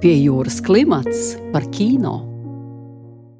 Pie jūras klimats par kino.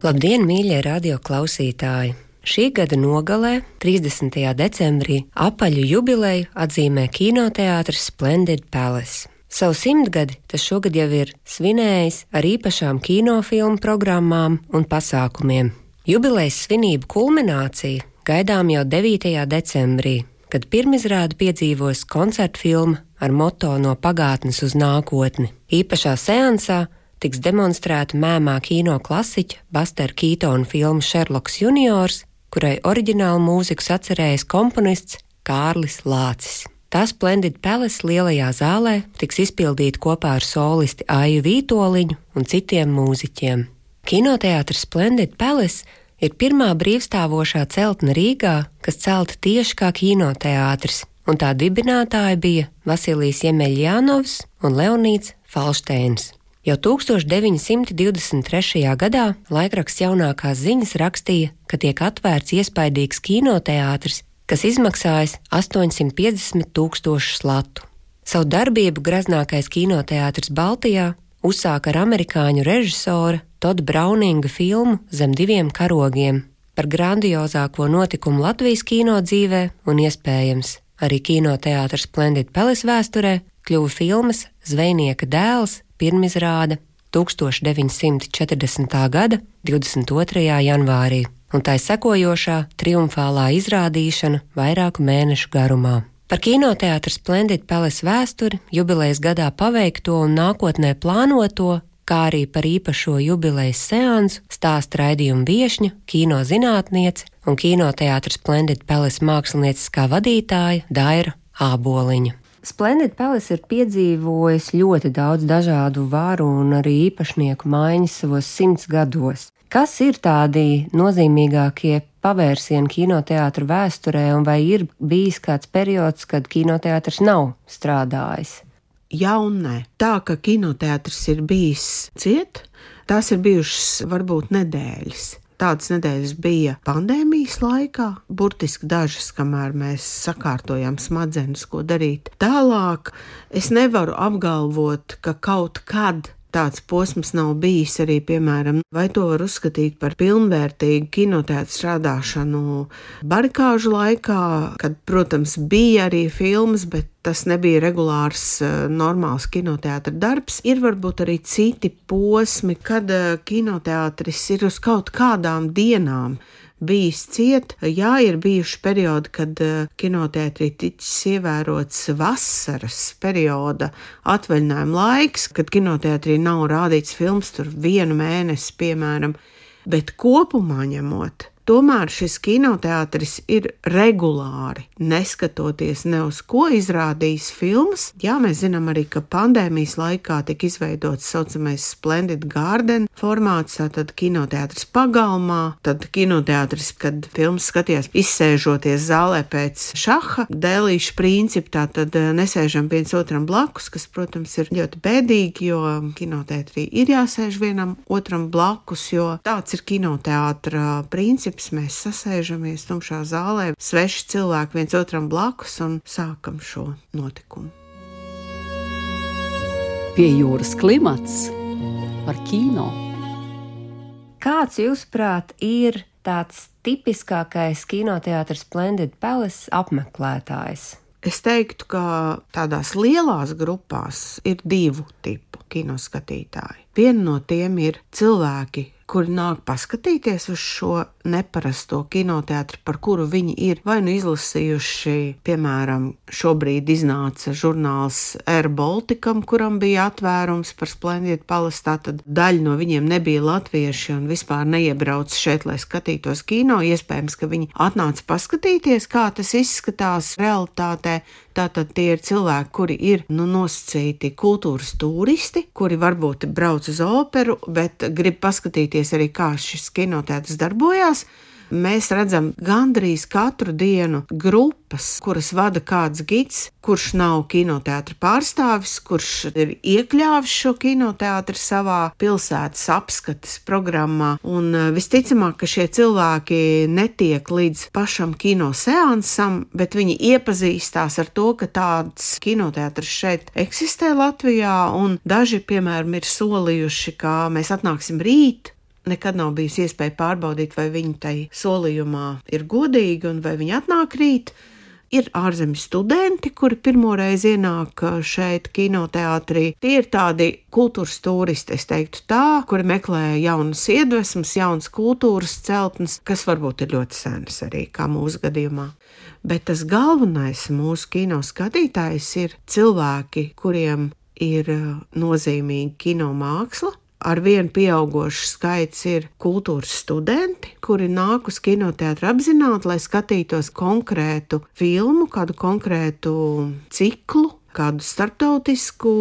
Labdien, mīļie radioklausītāji! Šī gada nogalē, 30. decembrī, apaļu jubileju atzīmē kinoteātris Splendid Palace. Savu 100 gadi tas šogad jau ir svinējis ar īpašām kinofilmu programmām un pasākumiem. Jubilejas svinību kulminācija gaidām jau 9. decembrī, kad pirmizrādi piedzīvos koncertfilma ar moto No pagātnes uz nākotni. Īpašā seansā tiks demonstrēta mēmā kino klasiķa Bustera Keatona filma Šerloks juniors, kurai oriģinālu mūziku sacerējis komponists Kārlis Lācis. Tā Splendid Palace lielajā zālē tiks izpildīta kopā ar solisti Aiju Vītoliņu un citiem mūziķiem. Kinoteātris Splendid Palace ir pirmā brīvstāvošā celtne Rīgā, kas celta tieši kā kinoteātris, un tā dibinātāji bija Vasilijs Jemeļjanovs un Leonīds Falšteins. Jau 1923. gadā laikraksts Jaunākās ziņas rakstīja, ka tiek atvērts iespaidīgs kinoteātris, kas izmaksājis 850,000 latu. Savu darbību graznākais kinoteātris Baltijā uzsāka ar amerikāņu režisora Toda Brauninga filmu Zem diviem karogiem par grandiozāko notikumu Latvijas kino dzīvē un iespējams arī kinoteātris Splendid Palace vēsturē kļuva filmas Zvejnieka dēls pirmizrāde 1940. gada 22. janvārī, un tai sekojošā triumfālā izrādīšana vairāku mēnešu garumā. Par kinoteātra Splendid Palace vēsturi, jubilejas gadā paveikto un nākotnē plānoto, kā arī par īpašo jubilejas seansu stāsta raidījuma viešņa, kinozinātniece un kinoteātra Splendid Palace mākslinieckā vadītāja Daira Āboliņa. Splendid Palace ir piedzīvojis ļoti daudz dažādu varu un arī īpašnieku maiņas savos 100 gados. Kas ir tādi nozīmīgākie pavērsieni kinoteātra vēsturē, un vai ir bijis kāds periods, kad kinoteātris nav strādājis? Jā un nē. Tā, ka kinoteātris ir bijis ciet, tās ir bijušas varbūt nedēļas. Tādas nedēļas bija pandēmijas laikā, burtiski dažas, kamēr mēs sakārtojām smadzenes, ko darīt. Tālāk es nevaru apgalvot, ka kaut kad tāds posms nav bijis arī, piemēram, vai to var uzskatīt par pilnvērtīgu kinoteātra strādāšanu barikāžu laikā, kad, protams, bija arī filmas, bet tas nebija regulārs, normāls kinoteātra darbs. Ir varbūt arī citi posmi, kad kinoteātris ir uz kaut kādām dienām bijis ciet. Jā, ir bijuši periodi, kad kinoteātrī ticis ievērots vasaras perioda atvaļinājuma laiks, kad kinoteātrī nav rādīts filmas tur 1 mēnesi, piemēram, bet kopumā ņemot, tomēr šis kinoteātris ir regulāri, neskatoties ne uz ko izrādījis filmas. Jā, mēs zinām arī, ka pandēmijas laikā tika izveidots saucamais Splendid Garden formāts, tātad kinoteātris pagalmā, tad kinoteātris, kad filmas skatījās izsēžoties zālē pēc šaha dēlīšu principu, tātad nesēžam viens otram blakus, kas, protams, ir ļoti bēdīgi, jo kinoteātrī ir jāsēž vienam otram blakus, jo tāds ir kinoteātra princips. Mēs sasēžamies tumšā zālē, sveši cilvēki viens otram blakus un sākam šo notikumu. Pie jūras klimats par kino. Kāds, jūsuprāt, ir tāds tipiskākais kinoteātris Splendid Palace apmeklētājs? Es teiktu, ka tādās lielās grupās ir 2 tipu kinoskatītāji. Viena no tiem ir cilvēki, kuri nāk paskatīties uz šo neparasto kinoteātri, par kuru viņi ir vai nu izlasījuši, piemēram, šobrīd iznāca žurnāls Air Balticam, kuram bija atvērums par Splendid Palace, tātad daļa no viņiem nebija latvieši un vispār neiebrauc šeit, lai skatītos kino. Iespējams, ka viņi atnāca paskatīties, kā tas izskatās realitātē. Tātad tie ir cilvēki, kuri ir nosacīti kultūras turisti, kuri varbūt brauc uz operu, bet grib paskatīties arī, kā šis kinoteātris darbojās. mēs redzam gandrīz katru dienu grupas, kuras vada kāds gids, kurš nav kinoteātra pārstāvis, kurš ir iekļāvis šo kinoteātri savā pilsētas apskates programmā. Un visticamāk, ka šie cilvēki netiek līdz pašam kinoseansam, bet viņi iepazīstās ar to, ka tāds kinoteātris šeit eksistē Latvijā, un daži, piemēram, ir solījuši, ka mēs atnāksim rīt. Nekad nav bijusi iespēja pārbaudīt, vai viņi tai solījumā ir godīgi un vai viņi atnāk rīt. Ir ārzemju studenti, kuri pirmoreiz ienāk šeit kinoteātrī. Tie ir tādi kultūras turisti, es teiktu tā, kuri meklē jaunas iedvesmas, jaunas kultūras celtnes, kas varbūt ir ļoti senas arī, kā mūsu gadījumā. Bet tas galvenais mūsu kino skatītājs ir cilvēki, kuriem ir nozīmīga kino māksla. Arvien pieaugošs skaits ir kultūras studenti, kuri nāk uz kinoteātri apzināti, lai skatītos konkrētu filmu, kādu konkrētu ciklu, kādu starptautisku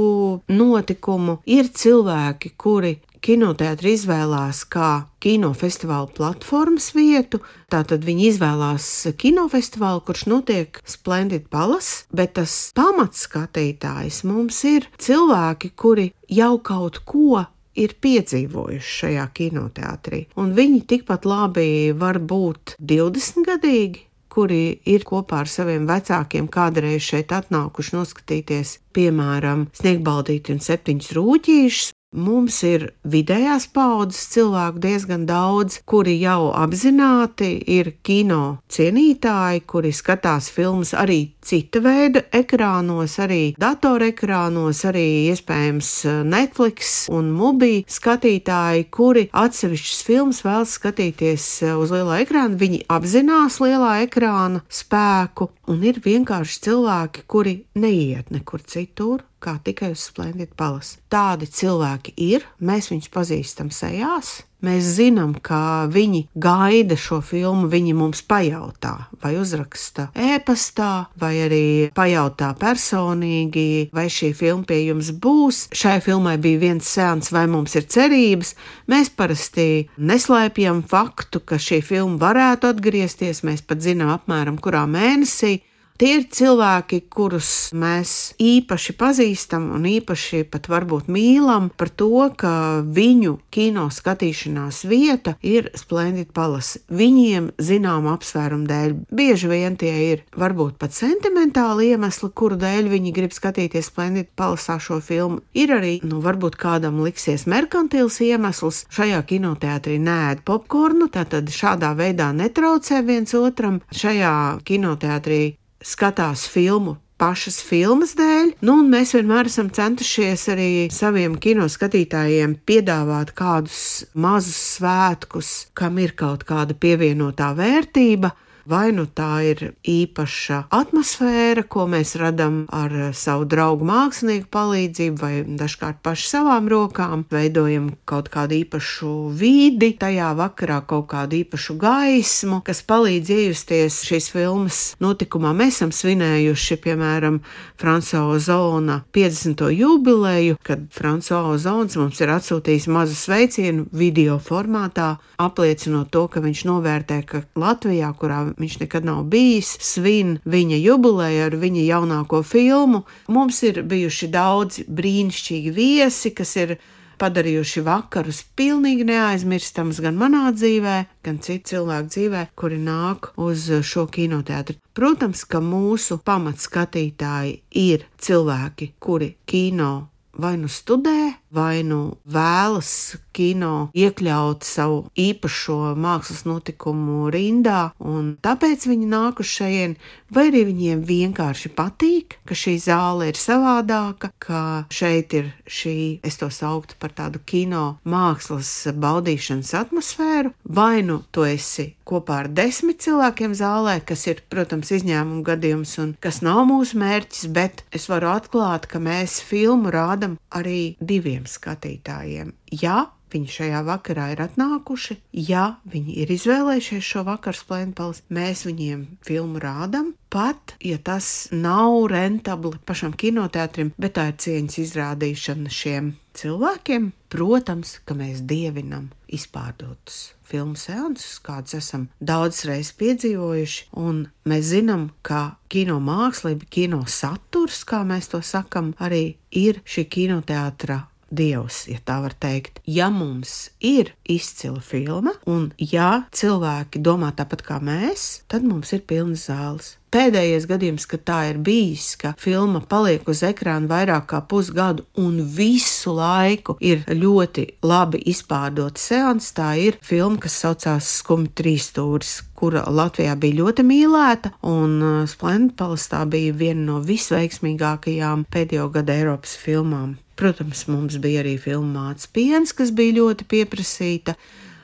notikumu. Ir cilvēki, kuri kinoteātri izvēlās kā kinofestivāla platformas vietu, tātad viņi izvēlās kinofestivālu, kurš notiek Splendid Palace, bet tas pamatskatītājs mums ir cilvēki, kuri jau kaut ko ir piedzīvojuši šajā kinoteātrī. Un viņi tikpat labi var būt 20-gadīgi, kuri ir kopā ar saviem vecākiem kādreiz šeit atnākuši noskatīties, piemēram, Sniegbaldīti un 7 rūķīšus. Mums ir vidējās paaudzes cilvēku diezgan daudz, kuri jau apzināti ir kino cienītāji, kuri skatās filmas arī cita veida ekrānos, arī datorekrānos, arī iespējams Netflix un Mubi skatītāji, kuri atsevišķas filmas vēlas skatīties uz lielā ekrāna. Viņi apzinās lielā ekrāna spēku, un ir vienkārši cilvēki, kuri neiet nekur citur, kā tikai uz Splendid Palace. Tādi cilvēki ir, mēs viņus pazīstam sejās, mēs zinām, ka viņi gaida šo filmu, viņi mums pajautā, vai uzraksta ēpastā, vai arī pajautā personīgi, vai šī filma pie jums būs. Šai filmai bija viens seans, vai mums ir cerības. Mēs parasti neslēpjam faktu, ka šī filma varētu atgriezties, mēs pat zinām apmēram kurā mēnesī. Tie ir cilvēki, kurus mēs īpaši pazīstam un īpaši pat varbūt mīlam par to, ka viņu kino skatīšanās vieta ir Splendid Palace. Viņiem zinām apsvērumu dēļ. Bieži vien tie ir varbūt pat sentimentāli iemesli, kuru dēļ viņi grib skatīties Splendid Palace šo filmu. Ir arī, varbūt kādam liksies merkantils iemesls. Šajā kinoteātrī neēd popkornu, tātad šādā veidā netraucē viens otram. Šajā kinoteātrī skatās filmu pašas filmas dēļ, un mēs vienmēr esam centušies arī saviem kinoskatītājiem piedāvāt kādus mazus svētkus, kam ir kaut kāda pievienotā vērtība. Vai nu tā ir īpaša atmosfēra, ko mēs radam ar savu draugu mākslinieku palīdzību, vai dažkārt paši savām rokām, veidojam kaut kādu īpašu vidi, tajā vakarā kaut kādu īpašu gaismu, kas palīdz iejusties šīs filmas notikumā. Mēs esam svinējuši, piemēram, François Ozona 50. jubileju, kad François Ozons mums ir atsūtījis mazu sveicienu video formātā, apliecinot to, ka viņš novērtē, ka Latvijā, kurā viņš nekad nav bijis, svin viņa jubileju ar viņa jaunāko filmu. Mums ir bijuši daudzi brīnišķīgi viesi, kas ir padarījuši vakarus pilnīgi neaizmirstams gan manā dzīvē, gan citu cilvēku dzīvē, kuri nāk uz šo kinoteātri. Protams, ka mūsu pamatskatītāji ir cilvēki, kuri kino vai nu studē, vai nu vēlas kino iekļaut savu īpašo mākslas notikumu rindā, un tāpēc viņi nāk uz šejien, vai arī viņiem vienkārši patīk, ka šī zāle ir savādāka, ka šeit ir šī, es to sauktu par tādu kino mākslas baudīšanas atmosfēru, vai nu tu esi kopā ar 10 cilvēkiem zālē, kas ir, protams, izņēmuma gadījums un kas nav mūsu mērķis, bet es varu atklāt, ka mēs filmu rādam arī 2 skatītājiem. Ja viņi šajā vakarā ir atnākuši, ja viņi ir izvēlējušies šo vakaru Splendid Palace, mēs viņiem filmu rādam, pat, ja tas nav rentabli pašam kinoteātrim, bet tā ir cieņas izrādīšana šiem cilvēkiem. Protams, ka mēs dievinam izpārdotus filmu seansus, kādus esam daudz reizes piedzīvojuši, un mēs zinām, ka kino mākslība, kino saturs, kā mēs to sakam, arī ir šī kinoteātra dievs, ja tā var teikt. Ja mums ir izcila filma, un ja cilvēki domā tāpat kā mēs, tad mums ir pilnas zāles. Pēdējais gadījums, kad tā ir bijis, ka filma paliek uz ekrāna vairāk kā pusgadu un visu laiku ir ļoti labi izpārdota seanss, tā ir filma, kas saucās Skumji trīsstūris, kura Latvijā bija ļoti mīlēta, un Splendid Palace tā bija viena no visveiksmīgākajām pēdējo gadu Eiropas filmām. Protams, mums bija arī filma Mātes piens, kas bija ļoti pieprasīta.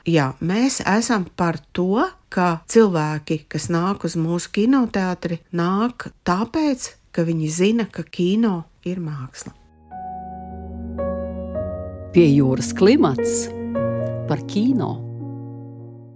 Jā, mēs esam par to, ka cilvēki, kas nāk uz mūsu kinoteātri, nāk tāpēc, ka viņi zina, ka kino ir māksla. Pie jūras klimats par kino.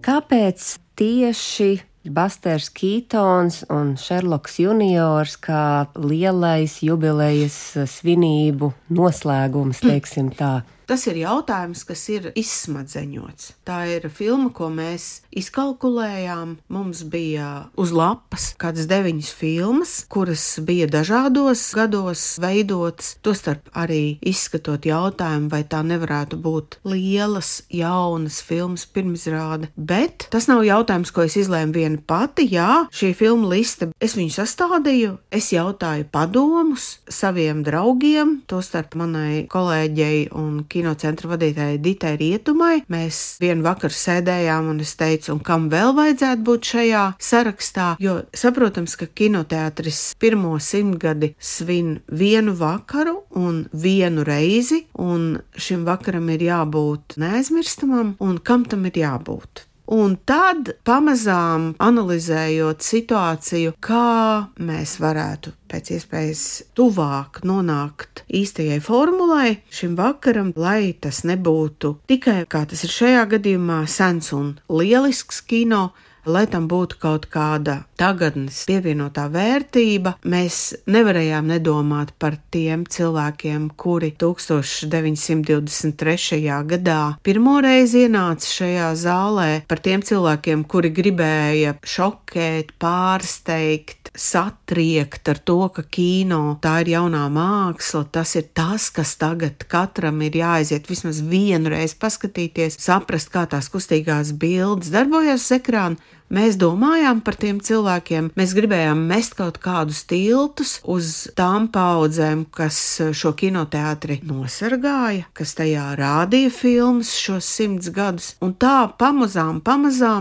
Kāpēc tieši Busters Keatons un Sherlocks juniors kā lielais jubilejas svinību noslēgums, teiksim tā? Tas ir jautājums, kas ir izsmadzeņots. Tā ir filma, ko mēs izkalkulējām. Mums bija uz lapas kādas 9 filmas, kuras bija dažādos gados veidotas, tostarp arī izskatot jautājumu, vai tā nevarētu būt lielas, jaunas filmas pirmizrāde. Bet tas nav jautājums, ko es izlēmu viena pati. Jā, šī filma liste, es viņu sastādīju, es jautāju padomus saviem draugiem, tostarp manai kolēģei un kinocentra vadītājai Ditai Rietumai. Mēs vienu vakaru sēdējām un es teicu, un kam vēl vajadzētu būt šajā sarakstā, jo saprotams, ka kinoteātris pirmo 100 svin vienu vakaru un vienu reizi, un šim vakaram ir jābūt neaizmirstamam, un kam tam ir jābūt. Un tad pamazām analizējot situāciju, kā mēs varētu pēc iespējas tuvāk nonākt īstajai formulai šim vakaram, lai tas nebūtu tikai, kā tas ir šajā gadījumā, sens un lielisks kino, lai tam būtu kaut kāda tagadnes pievienotā vērtība. Mēs nevarējām nedomāt par tiem cilvēkiem, kuri 1923. gadā pirmoreiz ienāca šajā zālē, par tiem cilvēkiem, kuri gribēja šokēt, pārsteigt, satriekt ar to, ka kino tā ir jaunā māksla, tas ir tas, kas tagad katram ir jāaiziet vismaz vienu reizi paskatīties, saprast, kā tās kustīgās bildes darbojas uz ekrāna. Mēs domājām par tiem cilvēkiem, mēs gribējām mest kaut kādus tiltus uz tām paudzēm, kas šo kinoteātri nosargāja, kas tajā rādīja filmas šos 100 gadus. Un tā pamazām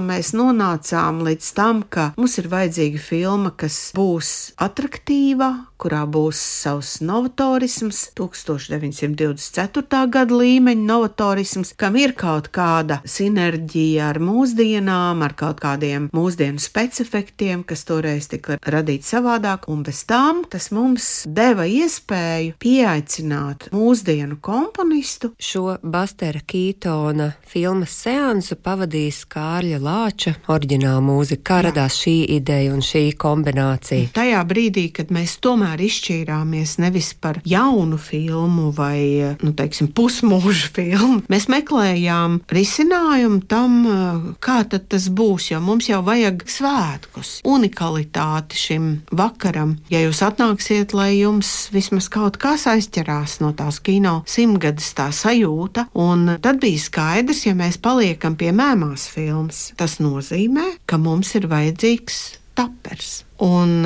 mēs nonācām līdz tam, ka mums ir vajadzīga filma, kas būs atraktīva, kurā būs savs novatorisms, 1924. gada līmeņa novatorisms, kam ir kaut kāda sinerģija ar mūsdienām, ar kaut kādiem mūsdienu specifektiem, kas toreiz tika radīti savādāk, un bez tām tas mums deva iespēju pieaicināt mūsdienu komponistu. Šo Bustera Keatona filmas seansu pavadīs Kārļa Lāča oriģināla mūzika. Kā radās šī ideja un šī kombinācija? Tajā brīdī, kad mēs tomēr izšķīrāmies nevis par jaunu filmu vai, pusmūža filmu, mēs meklējām risinājumu tam, kā tad tas būs, jo mums jau vajag svētkus, unikalitāti šim vakaram. Ja jūs atnāksiet, lai jums vismaz kaut kas aizķerās no tās kino 100 tā sajūta, un tad bija skaidrs, ja mēs paliekam pie mēmās filmas, tas nozīmē, ka mums ir vajadzīgs tapers. Un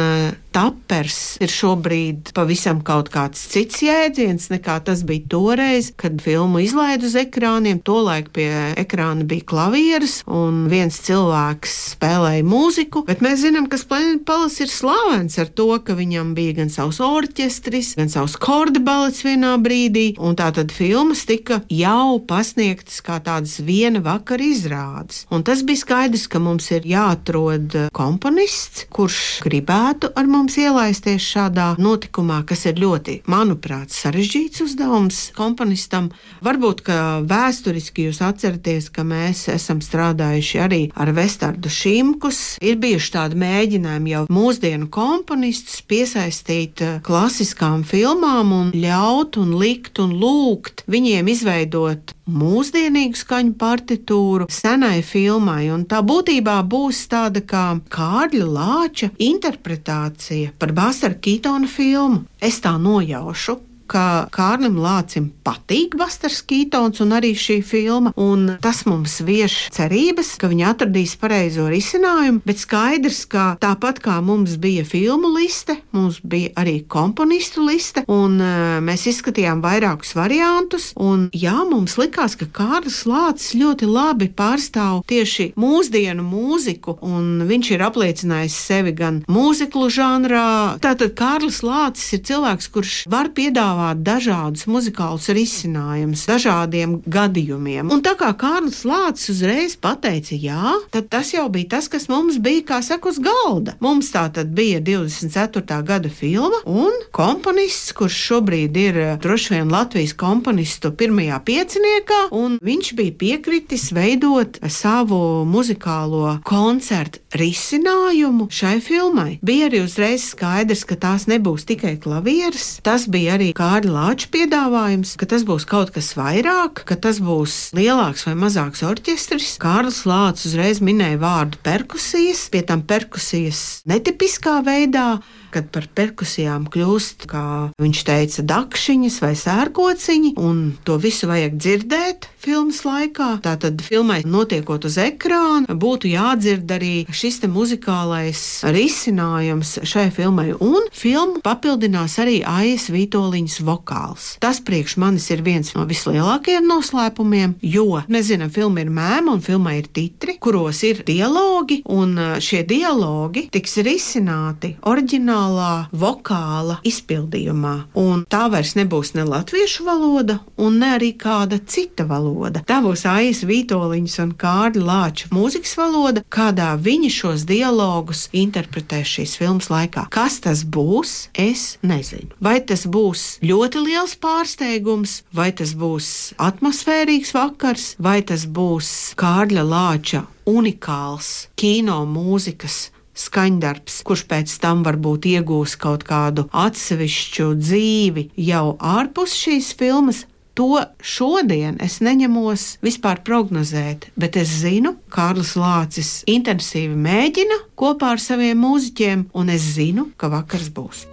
tapers ir šobrīd pavisam kaut kāds cits jēdziens, nekā tas bija toreiz, kad filmu izlaid uz ekrāniem. Tolaik pie ekrāna bija klavieres un viens cilvēks spēlēja mūziku, bet mēs zinām, ka Splendid Palace ir slavens ar to, ka viņam bija gan savs orķestris, gan savs korda balets vienā brīdī, un tātad filmas tika jau pasniegtas kā tādas viena vakara izrādes. Un tas bija skaidrs, ka mums ir jāatrod komponists, kurš gribētu ar mums ielaisties šādā notikumā, kas ir ļoti, manuprāt, sarežģīts uzdevums komponistam. Varbūt, ka vēsturiski jūs atceraties, ka mēs esam strādājuši arī ar Vestardu Šimkus. Ir bijuši tādi mēģinājumi jau mūsdienu komponistus piesaistīt klasiskām filmām un ļaut un likt un lūgt viņiem izveidot mūsdienīgu skaņu partitūru senai filmai, un tā būtībā būs tāda kā Kārļa Lāča interpretācija par Bustera Keitona filmu. Es tā nojaušu, ka Kārlim Lācim patīk Busters Keitons un arī šī filma, un tas mums vieš cerības, ka viņi atradīs pareizo risinājumu, bet skaidrs, ka tāpat kā mums bija filmu liste, mums bija arī komponistu liste, un mēs izskatījām vairākus variantus, un jā, mums likās, ka Kārlis Lācis ļoti labi pārstāv tieši mūsdienu mūziku, un viņš ir apliecinājis sevi gan mūziklu žanrā. Tātad Kārlis Lācis ir cilvēks, kurš var piedāvāt dažādus muzikālus risinājumus dažādiem gadījumiem. Un tā kā Kārlis Lācis uzreiz pateica jā, tad tas jau bija tas, kas mums bija, kā saka, uz galda. Mums tā tad bija 24. gada filma un komponists, kurš šobrīd ir droši vien Latvijas komponistu pirmajā pieciniekā, un viņš bija piekritis veidot savu muzikālo koncertu risinājumu šai filmai. Bija arī uzreiz skaidrs, ka tās nebūs tikai klavieres, tas bija arī Kārļa Lāča piedāvājums, ka tas būs kaut kas vairāk, ka tas būs lielāks vai mazāks orķestris. Kārlis Lācis uzreiz minēja vārdu perkusijas, pie tam perkusijas netipiskā veidā, kad par perkusijām kļūst, kā viņš teica, dakšiņas vai sērkociņi, un to visu vajag dzirdēt filmas laikā. Tātad filmai notiekot uz ekrāna, būtu jādzird arī šis te muzikālais risinājums šai filmai, un filmu papildinās arī Aijas Vītoliņas vokāls. Tas priekš manis ir viens no vislielākajiem noslēpumiem, jo mēs zinām, filma ir mēma un filmai ir titri, kuros ir dialogi, un šie dialogi tiks risināti oriģinālā vokāla izpildījumā. Un tā vairs nebūs ne latviešu valoda, un ne arī kāda cita valoda. Tā būs Aijas Vītoliņas un Kārļa Lāča mūzikas valoda, kādā viņi šos dialogus interpretēs šīs filmas laikā. Kas tas būs, es nezinu. Vai tas būs ļoti liels pārsteigums, vai tas būs atmosfērīgs vakars, vai tas būs Kārļa Lāča unikāls kino mūzikas skaņdarbs, kurš pēc tam varbūt iegūs kaut kādu atsevišķu dzīvi jau ārpus šīs filmas. To šodien es neņemos vispār prognozēt, bet es zinu, Kārlis Lācis intensīvi mēģina kopā ar saviem mūziķiem, un es zinu, ka vakars būs.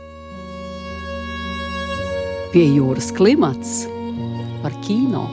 Pie jūras klimats par kino.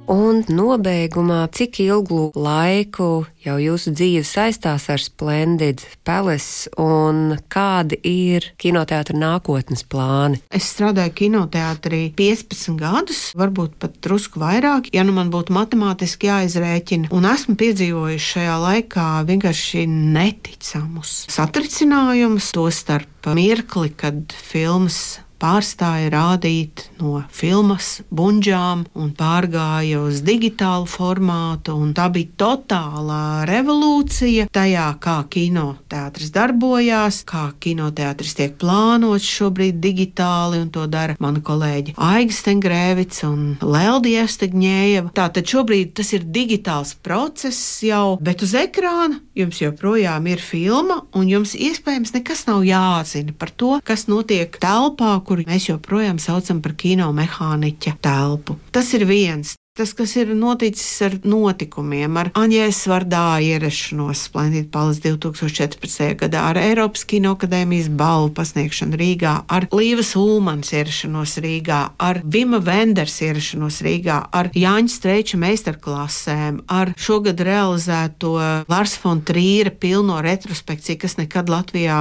Un nobeigumā, cik ilgu laiku jau jūsu dzīve saistās ar Splendid Palace un kādi ir kinoteātra nākotnes plāni? Es strādāju kinoteātrī 15 gadus, varbūt pat drusku vairāk, ja nu man būtu matemātiski jāizrēķina, un esmu piedzīvojuši šajā laikā vienkārši neticamus satricinājumus, tostarp mirkli, kad filmas pārstāja rādīt no filmas buņģām un pārgāja uz digitālu formātu, un tā bija totālā revolūcija tajā, kā kinoteātris darbojās, kā kinoteātris tiek plānots šobrīd digitāli, un to dara mani kolēģi Aiga Stengrēvica un Leldija Evstegņējeva. Tātad šobrīd tas ir digitāls process jau, bet uz ekrāna jums joprojām ir filma, un jums iespējams nekas nav jāzina par to, kas notiek telpā, kuru mēs joprojām saucam par kinomehāniķa telpu. Tas ir viens. Tas, kas ir noticis ar notikumiem, ar Aņēs Vardā ierašanos Splendid Palace 2014. gadā, ar Eiropas Kinoakadēmijas balvu pasniegšanu Rīgā, ar Līvas Ulmanas ierašanos Rīgā, ar Vima Venders ierašanos Rīgā, ar Jāņa Streiča meistarklasēm, ar šogad realizēto Lars von Trīra pilno retrospekciju, kas nekad Latvijā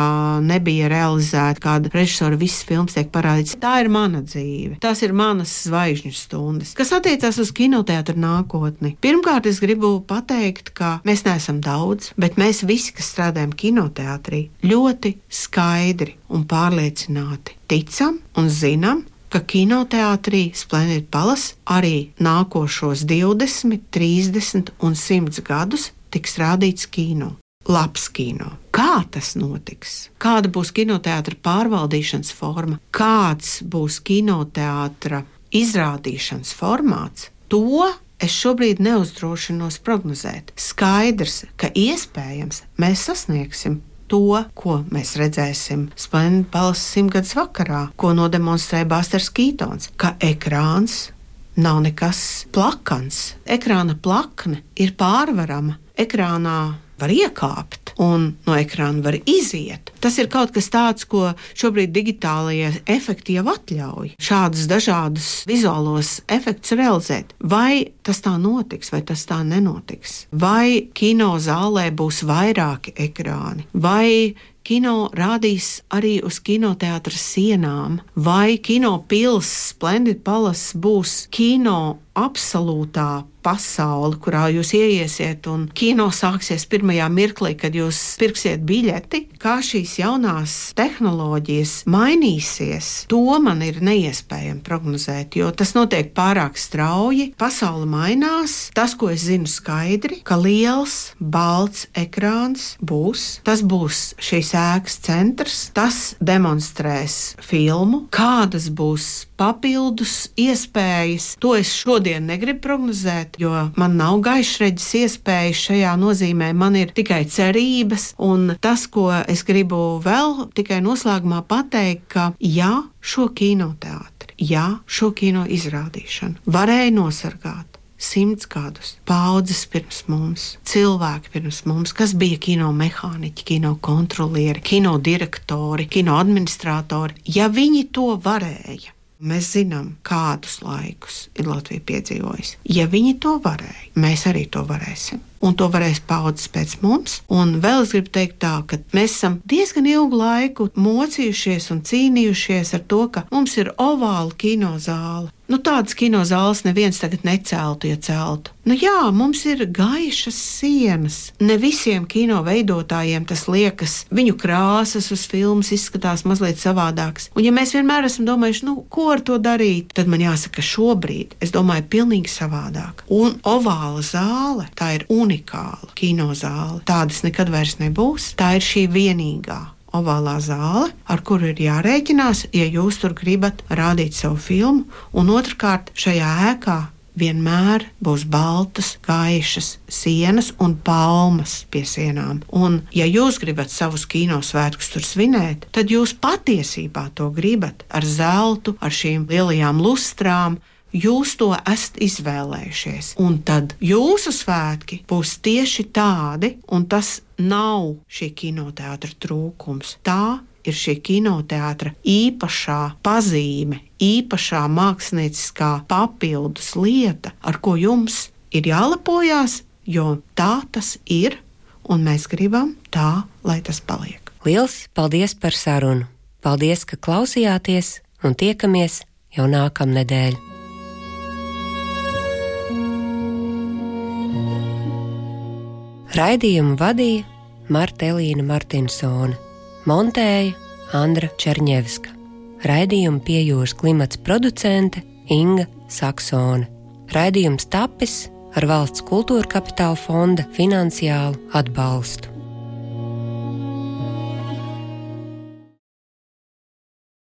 nebija realizēta, kāda režisora visas filmas tiek parādīts. Tā ir mana dzīve. Tās ir manas zvaigžņu stundas. Kas attiecās uz kinoteātra nākotni. Pirmkārt, es gribu pateikt, ka mēs neesam daudz, bet mēs visi, kas strādājam kinoteātrī, ļoti skaidri un pārliecināti ticam un zinām, ka kinoteātrī Splendid Palace arī nākošos 20, 30 un 100 gadus tiks rādīts kino. labs kino. Kā tas notiks? Kāda būs kinoteātra pārvaldīšanas forma? Kāds būs kinoteātra izrādīšanas formāts? To es šobrīd neuzdrošinos prognozēt. Skaidrs, ka iespējams mēs sasniegsim to, ko mēs redzēsim Splendid Palace 100. vakarā, ko nodemonstrēja Basters Kītons, ka ekrāns nav nekas plakans. Ekrāna plakne ir pārvarama. Ekrānā var iekāpt un no ekrāna var iziet. Tas ir kaut kas tāds, ko šobrīd digitālajie efekti jau atļauj. Šādus dažādus vizuālos efektus realizēt. Vai tas tā notiks, vai tas tā nenotiks? Vai kino zālē būs vairāki ekrāni? Vai kino rādīs arī uz kinoteātra sienām? Vai kino pils Splendid Palace būs kino absolūtā pasaule, kurā jūs ieiesiet un kino sāksies pirmajā mirklī, kad jūs pirksiet biļeti? Kā šīs jaunās tehnoloģijas mainīsies, to man ir neiespējami prognozēt, jo tas notiek pārāk strauji. Pasaule mainās. Tas, ko es zinu skaidri, ka liels, balts ekrāns būs. Tas būs šīs ēkas centrs. Tas demonstrēs filmu. Kādas būs papildus iespējas, to es šodien negribu prognozēt, jo man nav gaišreģis iespējas šajā nozīmē, man ir tikai cerības, un tas, ko es gribu vēl tikai noslēgumā pateikt, ka ja šo kinoteātri, ja šo kino izrādīšanu varēja nosargāt 100 gadus, paudzes pirms mums, cilvēki pirms mums, kas bija kino mehāniķi, kino kontrolieri, kino direktori, kino administratori, ja viņi to varēja. Mēs zinām, kādus laikus ir Latvija piedzīvojusi. Ja viņi to varēja, mēs arī to varēsim. Un to varēs paudzes pēc mums. Un vēl es gribu teikt tā, ka mēs esam diezgan ilgu laiku mocījušies un cīnījušies ar to, ka mums ir ovāla kinozāle. Tādas kinozāles neviens tagad neceltu, ja celtu. Jā, mums ir gaišas sienas. Ne visiem kino veidotājiem tas liekas, viņu krāsas uz filmas izskatās mazliet savādāks. Un ja mēs vienmēr esam domājuši, ko ar to darīt, tad man jāsaka, šobrīd es domāju pilnīgi savādāk. Un ovāla zāle, tā ir unikāla kinozāle. Tādas nekad vairs nebūs. Tā ir šī vienīgā ovālā zāle, ar kuru ir jārēķinās, ja jūs tur gribat rādīt savu filmu, un otrkārt šajā ēkā vienmēr būs baltas, gaišas sienas un palmas pie sienām. Un ja jūs gribat savus kinosvētkus tur svinēt, tad jūs patiesībā to gribat ar zeltu, ar šīm lielajām lustrām. Jūs to esat izvēlējušies, un tad jūsu svētki būs tieši tādi, un tas nav šī kinoteātra trūkums. Tā ir šī kinoteātra īpašā pazīme, īpašā mākslinieckā papildus lieta, ar ko jums ir jālepojās, jo tā tas ir, un mēs gribam tā, lai tas paliek. Liels paldies par sarunu! Paldies, ka klausījāties, un tiekamies jau nākamnedēļ! Raidījumu vadīja Marta Elīna Martinsone, montēja Andra Čerņevska. Raidījumu pie jūras klimats producente Inga Saksone. Raidījums tapis ar Valsts kultūra kapitāla fonda finansiālu atbalstu.